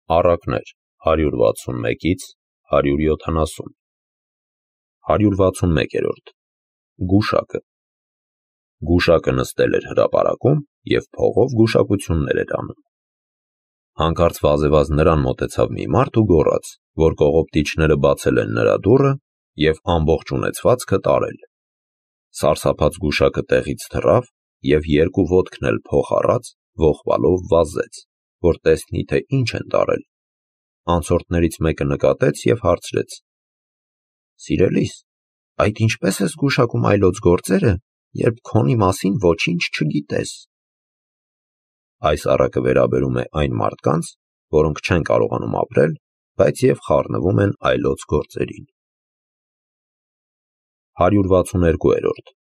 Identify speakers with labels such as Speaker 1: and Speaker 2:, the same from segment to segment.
Speaker 1: Առակներ 161-ից 170 161-րդ Գուշակը Գուշակը նստել էր հրապարակում և փողով գուշակություններ էր անում։ Հանկարծ վազեվազ նրան մոտեցավ մի մարդ ու գոռաց, որ կողոպտիչները բացել են նրա դուռը և ամբողջ ունեցվածքը տարել։ Սարսափած գուշակը տեղից թռավ և երկու ոտքն էլ փոխ առած ողբալով վազեց, որ տեսնի, թե ինչ են տարել։ Անցորդներից մեկը նկատեց և հարցրեց. «Սիրելիս, այդ ինչպե՞ս ես գուշակում այլոց գործերը, երբ քոնի մասին ոչինչ չգիտես»։ Այս առակը վերաբերում է այն մարդկանց, որոնք չեն կարողանում ապրել, բայց և խառնվում են այլոց գործերին։ 162-րդ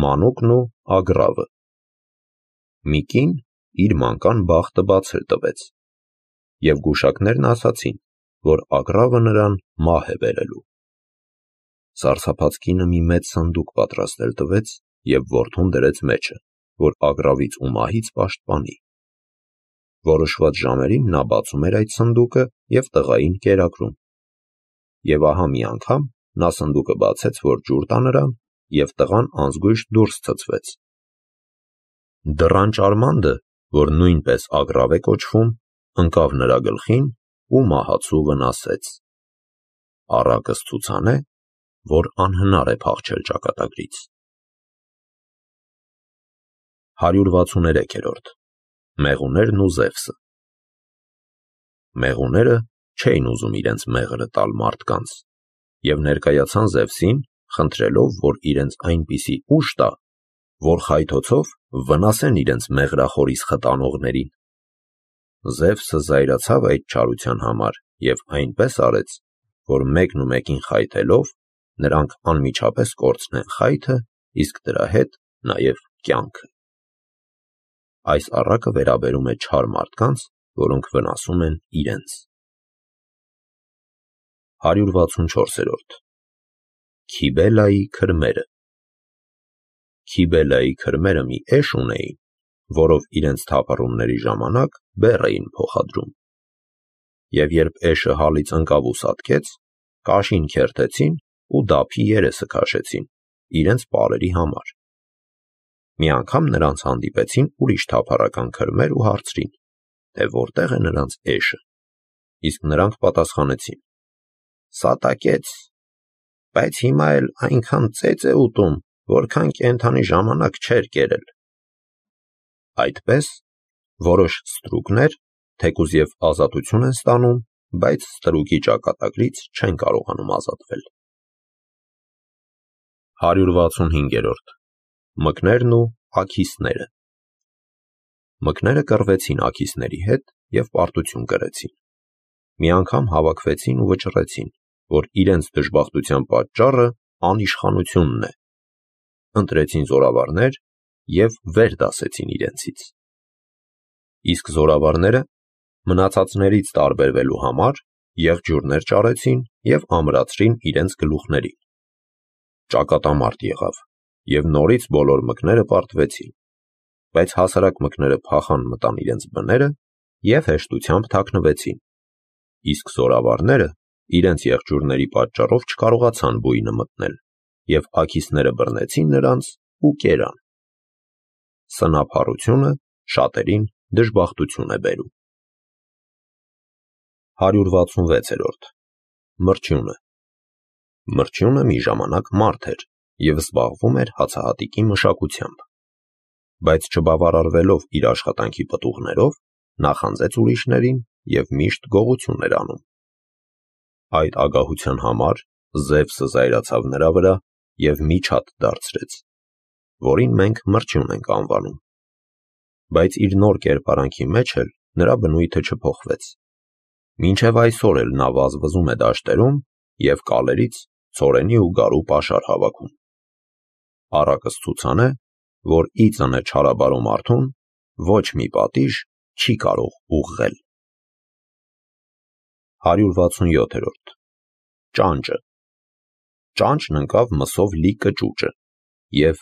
Speaker 1: Մանուկն ու ագռավը Մի կին իր մանկան բախտը բացել տվեց, և գուշակներն ասացին, որ ագռավը նրան մահ է բերելու։ Սարսափած կինը մի մեծ սնդուկ պատրաստել տվեց և որդուն դրեց մեջը, որ ագռավից ու մահից պաշտպանի։ Որոշված ժամերին նա բացում էր այդ սնդուկը և տղային կերակրում։ Եվ ահա մի անգամ նա սնդուկը բացեց, որ ջուր տա նրան, և տղան անզգույշ դուրս ցցվեց։ Դռան ճարմանդը, որ նույնպես ագռավ է կոչվում, ընկավ նրա գլխին ու մահացու վնասեց։ Առակը ցուցան է, որ անհնար է փախչել ճակատագրից։ 163-րդ Մեղուներն ու Զևսը Մեղուները չէին ուզում իրենց մեղրը տալ մարդկանց և ներկայացան Զևսին, խնդրելով, որ իրենց այնպիսի ուժ տա, որ խայթոցով վնասեն իրենց մեղրախորիսխ տանողներին։ Զևսը զայրացավ այդ չարության համար և այնպես արեց, որ մեկն ու մեկին խայթելով, նրանք անմիջապես կորցնեն խայթը, իսկ դրա հետ նաև կյանքը։ Այս առակը վերաբերում է չար մարդկանց, որոնք վնասում են իրենց։ 164-րդ Քիբելայի քրմերը Քիբելայի քրմերը մի էշ ունեին, որով իրենց թափառումների ժամանակ բեռ էին փոխադրում։ Եվ երբ էշը հալից ընկավ ու սատկեց, կաշին քերթեցին ու դափի երեսը քաշեցին, իրենց պարերի համար։ Մի անգամ նրանց հանդիպեցին ուրիշ թափառական քրմեր ու հարցրին, թե որտեղ է նրանց էշը, իսկ նրանք պատասխանեցին. «Սատակեց, բայց հիմա էլ այնքան ծեծ է ուտում, որքան կենդանի ժամանակ չէր կերել»։ Այդպես, որոշ ստրուկներ, թեկուզ և ազատություն են ստանում, բայց ստրուկի ճակատագրից չեն կարողանում ազատվել։ 165-րդ Մկներն ու աքիսները Մկները կռվեցին աքիսների հետ և պարտություն կրեցին։ Մի անգամ հավաքվեցին ու վճռեցին, որ իրենց դժբախտության պատճառը անիշխանությունն է։ Ընտրեցին զորավարներ և վեր դասեցին իրենցից։ Իսկ զորավարները մնացածներից տարբերվելու համար եղջյուրներ ճարեցին և ամրացրին իրենց գլուխներին։ Ճակատամարտ եղավ, և նորից բոլոր մկները պարտվեցին, բայց հասարակ մկները փախան մտան իրենց բները և հեշտությամբ թաքնվեցին, իսկ զորավարները իրենց եղջյուրների պատճառով չկարողացան բույնը մտնել և աքիսները բռնեցին նրանց ու կերան։ Սնափառությունը շատերին դժբախտություն է բերում։ 166-րդ Մրջյունը Մրջյունը մի ժամանակ մարդ էր և զբաղվում էր հացահատիկի մշակությամբ, բայց չբավարարվելով իր աշխատանքի պտուղներով, նախանձեց ուրիշներին և միշտ գողություն էր անում։ Այդ ագահության համար Զևսը զայրացավ նրա վրա և միջատ դարձրեց, որին մենք մրջյուն ենք անվանում։ Բայց իր նոր կերպարանքի մեջ էլ նրա բնույթը չփոխվեց։ Մինչև այսօր էլ նա վազվզում է դաշտերում և կալերից ցորենի ու գարու պաշար հավաքում։ Առակս ցուցան է, որ ի ծնե չարաբարո մարդուն ոչ մի պատիժ չի կարող ուղղել։ 167-րդ Ճանճը Ճանճն ընկավ մսով լի կճուճը և,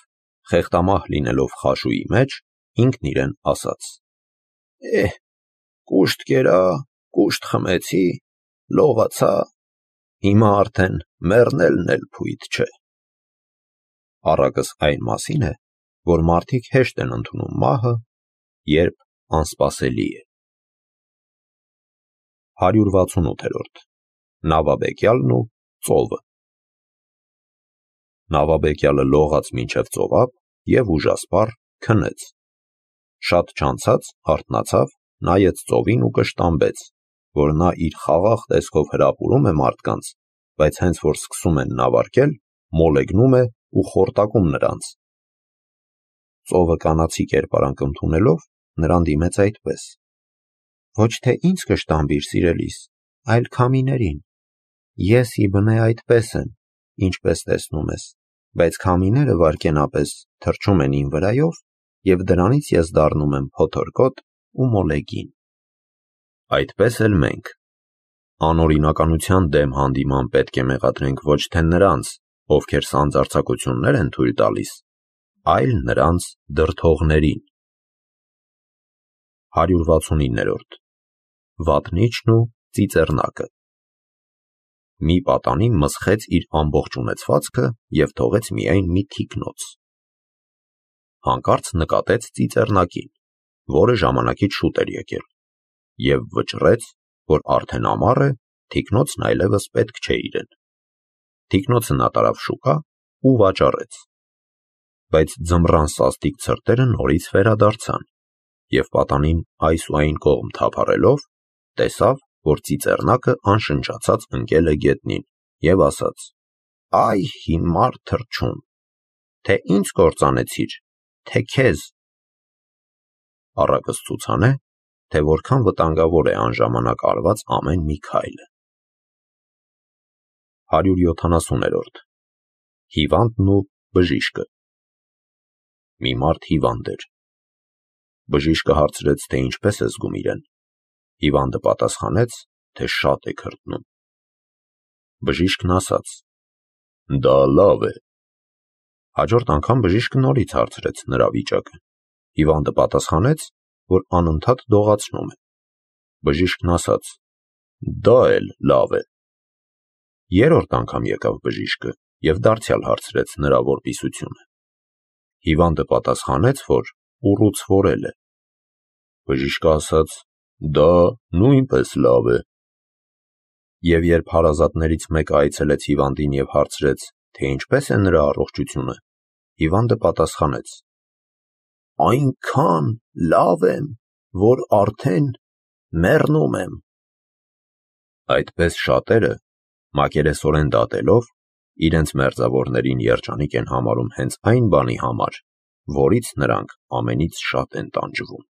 Speaker 1: խեղտամահ լինելով խաշուի մեջ, ինքն իրեն ասաց. «Կուշտ կերա, կուշտ խմեցի, լողացա, հիմա արդեն մեռնելն էլ փույթ չէ։ Առակս այն մասին է, որ մարդիկ հեշտ են ընդունում մահը, երբ անսպասելի է։ 168-րդ Նավաբեկյալն ու ծովը։ Նավաբեկյալը լողաց մինչև ծովափ և ուժասպառ քնեց։ Շատ չանցած արթնացավ, նայեց ծովին ու կշտամբեց, որ նա իր խաղաղ տեսքով հրապուրում է մարդկանց, բայց հենց որ սկսում են նավարկել, մոլեգնում է ու խորտակում նրանց։ Ծովը կանացի կերպարանք ընդունելով, նրան դիմեց այդպես. «Ոչ թե ինձ կշտամբիր, սիրելիս, այլ քամիներին։ Ես ի բնե այդպես եմ, ինչպես տեսնում ես, բայց քամիները վայրկենապես թռչում են իմ վրայով, և դրանից ես դառնում եմ փոթորկոտ ու մոլեգին»։ Այդպես էլ մենք անօրինականության դեմ հանդիման պետք է մեղադրենք ոչ թե նրանց, ովքեր սանձարձակություններ են թույլ տալիս, այլ նրանց դրդողներին։ 169-րդ Վատնիչն ու ծիծեռնակը։ Մի պատանի մսխեց իր ամբողջ ունեցվածքը և թողեց միայն մի թիկնոց։ Հանկարծ նկատեց ծիծեռնակին, որը ժամանակից շուտ էր եկել, և վճռեց, որ արդեն ամառ է, թիկնոցն այլևս պետք չէ իրեն։ Թիկնոցը նա տարավ շուկա ու վաճառեց։ Բայց ձմռան սաստիկ ցրտերը նորից վերադարձան, և պատանին այս ու այն կողմ թափառելով, տեսավ, որ ծիծեռնակը անշնչացած ընկել է գետնին և ասաց. «Այ հիմար թռչուն, թե ինձ կործանեցիր, թե քեզ»։ Առակս ցուցանե, թե որքան վտանգավոր է անժամանակ արված ամեն մի քայլը։ 170-րդ Հիվանդն ու բժիշկը։ Մի մարդ հիվանդ էր։ Բժիշկը հարցրեց, թե ինչպես է զգում իրեն։ Հիվանդը պատասխանեց, թե շատ է քրտնում։ Բժիշկն ասաց. «Դա լավ է»։ Հաջորդ անգամ բժիշկը նորից հարցրեց նրա վիճակը։ Հիվանդը պատասխանեց, որ անընդհատ դողացնում է։ Բժիշկն ասաց. «Դա էլ լավ է»։ Երրորդ անգամ եկավ բժիշկը և դարձյալ հարցրեց նրա որպիսությունը։ Հիվանդը պատասխանեց, որ ուռուցվորել է։ Բժիշկը ասաց. «Դա նույնպես լավ է»։ Եվ երբ հարազատներից մեկը այցելեց հիվանդին և հարցրեց, թե ինչպես է նրա առողջությունը, հիվանդը պատասխանեց. «Այնքան լավ եմ, որ արդեն մեռնում եմ»։ Այդպես շատերը, մակերեսորեն դատելով, իրենց մերձավորներին երջանիկ են համարում հենց այն բանի համար, որից նրանք ամենից շատ են տանջվում։